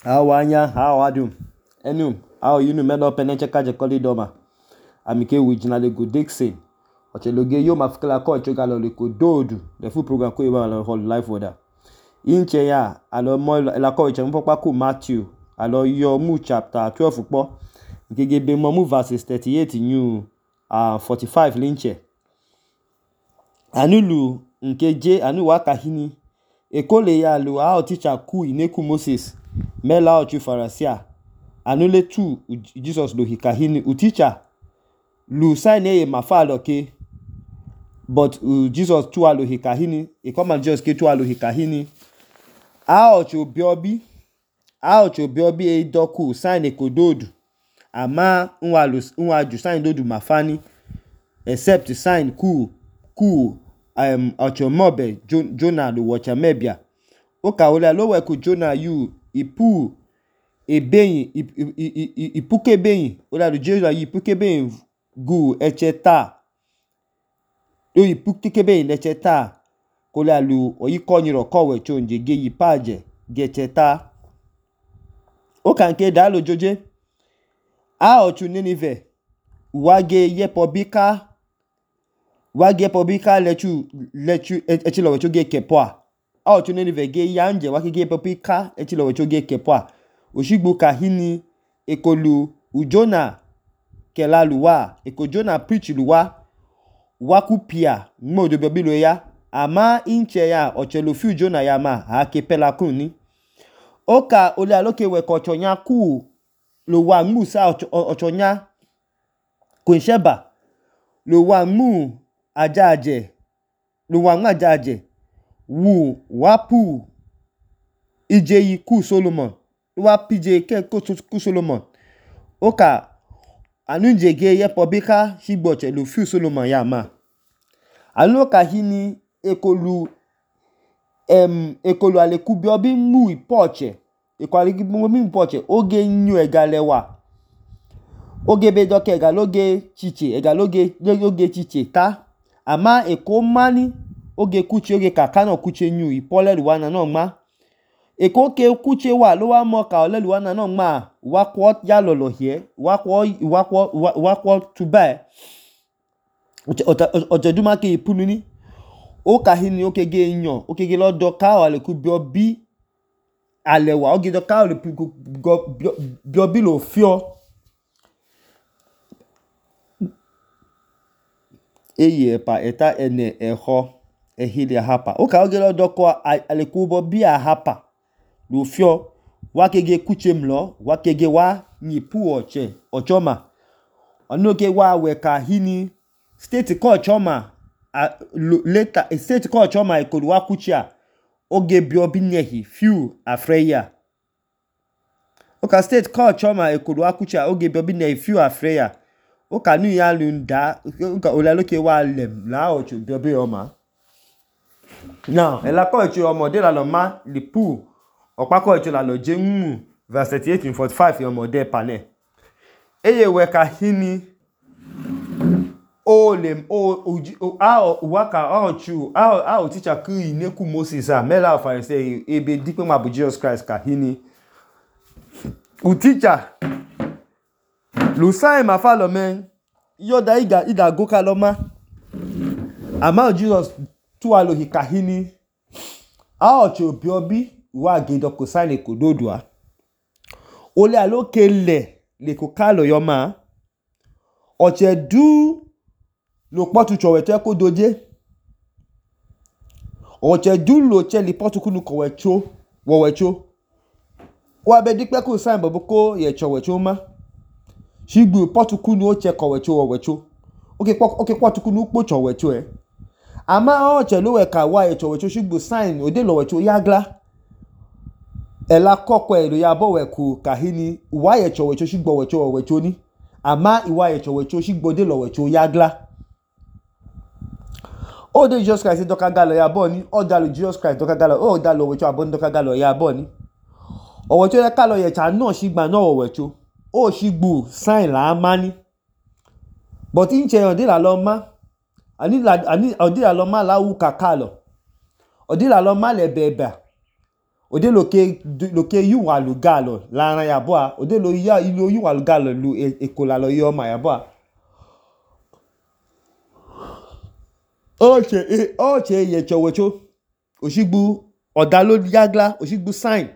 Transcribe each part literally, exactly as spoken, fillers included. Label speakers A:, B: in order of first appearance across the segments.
A: Awanya, how are you? Enu, how you know men up and check out the corridor. Amike Wijina le go Dixon. Ocheloge yo mafikala ko chogalo le ko dodu. The full program ko iba la whole life order. Inche ya alo mo la ko iche mpopa ko Matthew. Alo yo mu chapter twelve po. Nkege be mo mu verses thirty-eight new uh forty-five linche. Anulu nkeje anu waka hini. Ekole ya lu how teacher ku ineku Moses. Mela ochu farasia. Anule tu Jesus do hikahini uticha. Lu sign ye mafalo ke. But uh, Jesus tu alo hikahini. E come and Jesus ke tu alo hikahini. A ochu biobi. A ochu biobi e doku sign e kododu. Ama unwa lu unwa ju sign dodu mafani. Except sign ku ku um ochu mobe Jonah lu wacha mebia. Oka ole lo we ku Jonah you ipu ebeyin ipuke beyin ola lu Jonah you ipuke beyin gu echeta do ipuke beyin echeta ko la lu oyikonyiro kowe chonje ge yipaje ge echeta oka nke da lo joje a ochu Ninive wage yepobika wage yepobika lechu lechu echilo we choge kepoa a ochu Ninive ge yanje wage yepobika echilo we choge kepoa Oshigbo kahini ekolu ujona kelaluwa eko Jonah preach luwa wakupia mmodo bibilo ya ama inche ya ochelo fiu Jonah ya ma ha kepela kuni oka ole aloke we ko chonya ku lo wa mu sa ochonya kunsheba lo wa mu ajaje lo wa mu ajaje wu wapu ijeyi ku Solomon wa pije ke ku Solomon oka anunje ge yepobika shigbo chelu fiu Solomon ya ma aloka hini ekolu em ekolu aleku biobi mu ipoche ekwali mu mi ipoche oge nyu egalewa oge be doke egaloge chiche egaloge oge chiche ta ama eko mani oge kuchi oge kakano kuche nyu ipole luwana no ma eko ke kuche wa lo wa mo ka ole luwana no ma wa kwot ya lolo hie wa kwo wa kwo wa kwo tuba ojeduma ke ipunu ni o ka hini o kege yan o kege lo do ka wale ku biobi alewa o ge do ka wale ku biobi lo fio eye pa eta ene eho ehile hapa o ka o ge lo do ko aleku biobi hapa lo fio wa kege kuche mlo wa kege wa nyipu oche ochoma onoke wa we ka hini state ko ochoma uh, later state ko ochoma ekolu wa kuchia oge biobi nehi few afreya oka state ko ochoma ekolu wa kuchia oge biobi nehi few afreya oka nu ya lunda oka olaloke wa lem la ocho biobi oma now ela ko ocho omo de la lo ma lipu opako ocho la lo je nmu verse thirty-eight and forty-five yomo de pane eye we ka hini o lem o a waka ochu a a teacher ku ineku Moses a mela of say ebe dipe ma bu Jesus Christ ka hini u teacher lu sai ma follow men yo da iga ida go kaloma ama Jesus tu alo hikahini a ochu biobi wa gedo ko sai le kododua ole aloke le le ko kalo yoma oche du lo potu chowete ko doje oche du lo che li potu kunu ko wecho wo wecho wa be dipe ko sai bobo ko ye chowecho ma shigbu potu kunu o che ko wecho wo wecho oke po oke potu kunu po chowecho e ama oche lo we ka wa ye chowecho shigbu sign ode lo wecho yagla ela kokko ero ya bo we ku kahini wa ye chowecho shigbo wecho wo wecho ni ama iwa ye chowecho shigbo de lo wecho yagla o de Jesus Christ doka galo ya bo ni o da lo Jesus Christ doka galo o da lo wecho abon doka galo ya bo ni o wecho ya kalo ye cha no shigba no wo wecho o shigbu sign la mani but inche o de la lo ma ani la ani o de la lo ma la wu kakalo o de la lo ma le beba ode loke loke yuwa lugalo la ran yabo ode lo ya ilo yuwa lugalo lu ekola lo yo ma yabo oche oche ye chowecho oshigbu odalo yagla oshigbu sign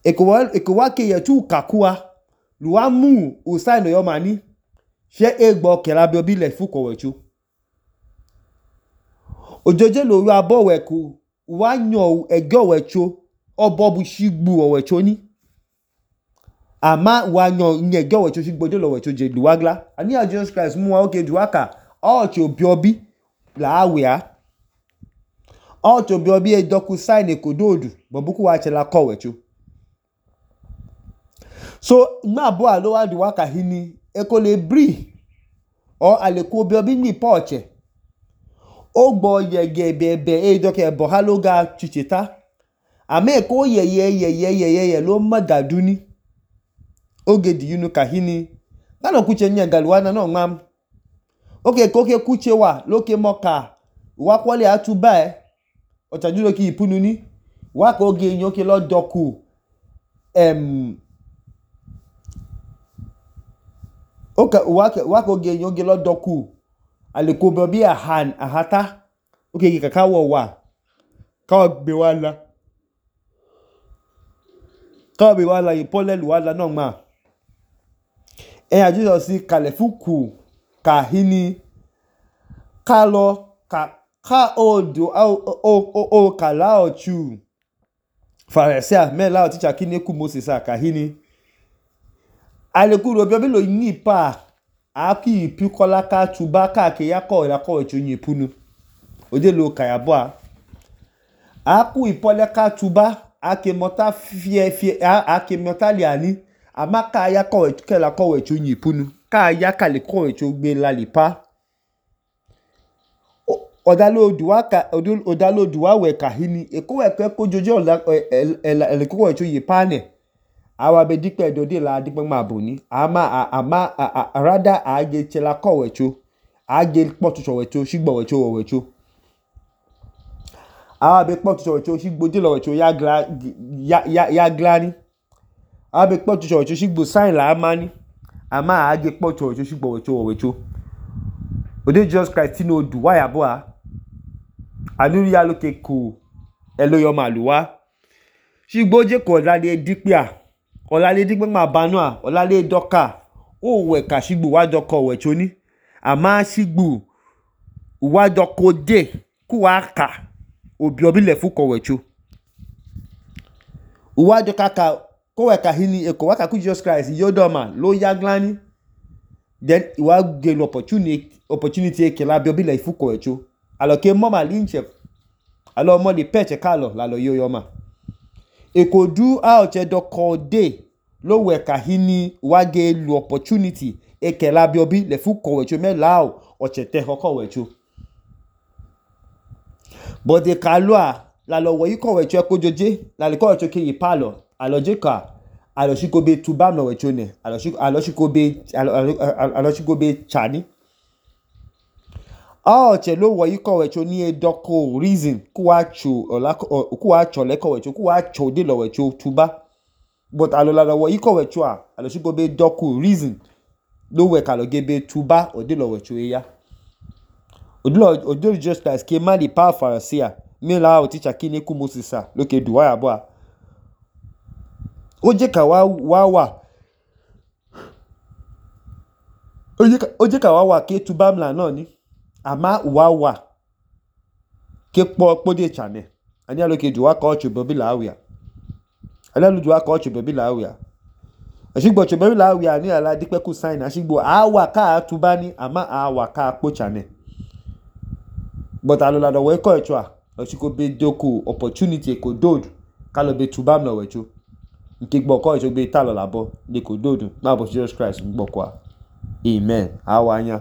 A: ekowa ekowa ke ye tu kakua luwa mu o sign yo mani she egbo kela bi obi le fu kowecho ojoje lo ru abo weku wa yan ego wecho obo bu shigbu owecho ni ama wa yan ego wecho shigbu de lo wecho je luwagla ani a Jesus Christ mu wa oke duaka o che obi obi la awia o che obi obi e doku sign e kododu bobuku wa che la kowecho so ma bo alo wa duaka hini e ko le bri o ale ko obi obi ni poche o gbo yege bebe e doke bo haloga chichita ame ko yeye yeye yeye lo magaduni oge di yunu kahini ngalo kuche nya galwana no ngam oke koke kuche wa loke moka wa kwole atuba e otajulo ki ipunu ni wa ko ge yin oke lo doku em oka wa wa ko ge yin oge lo doku ale ko bo bi ahan ahata oke ki kaka wo wa ka gbe wala ka be wala ipole lu wala no ma e a Jesus si kale fuku ka hini ka lo ka ka odo o o o kala ochu Pharisee me la teacher kini ku Moses ka hini ale ku ro bi obi lo yin pa aki pikola ka tuba ka ke yako la ko echo yin punu ode lo kayabo a aku ipole ka tuba ake mota fie fie ake mota liani amaka ya ko ke la ko echo yin punu ka ya ka le ko echo gbe la lipa odalo duwa ka odalo duwa we ka hini e ko we pe ko jojo la ele ko echo yin pane awa be dipe dode la dipe ma boni ama ama rada age chela ko wecho age potu so wecho shigbo wecho wecho awa be potu so wecho shigbo de lo wecho ya gla ya ya glani awa be potu so wecho shigbo sign la amani ama age potu wecho shigbo wecho wecho ode Jesus Christ no du wa yabo a anu ya loke ku elo yo maluwa shigbo je ko la le dipe a olale digbe ma banu a olale doka o we ka shigbu wa doko wecho ni ama shigbu wa doko de ku wa ka obi obi le fu ko wecho wa doka ka ko we ka hini e ko wa ka ku Jesus Christ yodoma lo yaglani then wa get opportunity opportunity ke la bi obi le fu ko wecho alo ke mo ma linche alo mo le peche kalo la lo yoyoma e ko du a oche doko de lo we ka hini wa ge lu opportunity e ke la bi obi le fu ko wecho me lao oche te ko wecho but de kalua la lo wo yi ko wecho e ko joje la le ko wecho ke yi palo alo je ka alo shi ko be tubam lo wecho ne alo shi alo shi ko be alo shi ko be chani ah che lo wo yi ko wecho ni e doko reason ku wa chu ola ku wa cho le ko wecho ku wa cho de lo wecho tuba but alo la wo yi ko wecho a alo shi ko be doko reason lo we ka lo ge be tuba o de lo wecho ya odilo odilo just as ke mali pa Pharisee me la o teacher kini ku Moses a lo ke duwa ya bo a oje ka wa wa wa oje ka oje ka wa wa ke tuba mla na ni ama wa wa ke po po de chane ani alo ke duwa ka ocho bobi la awia ani alo duwa ka ocho bobi la awia ashigbo ocho bobi la awia ni ala dipe ku sign ashigbo awa ka tuba ni ama awa ka po chane but alo la do we ko echo a ashiko be doku opportunity ko dodu ka lo be tuba mla wecho nke gbo ko echo be ta lo labo de ko dodu ma bo Jesus Christ gbo kwa amen awanya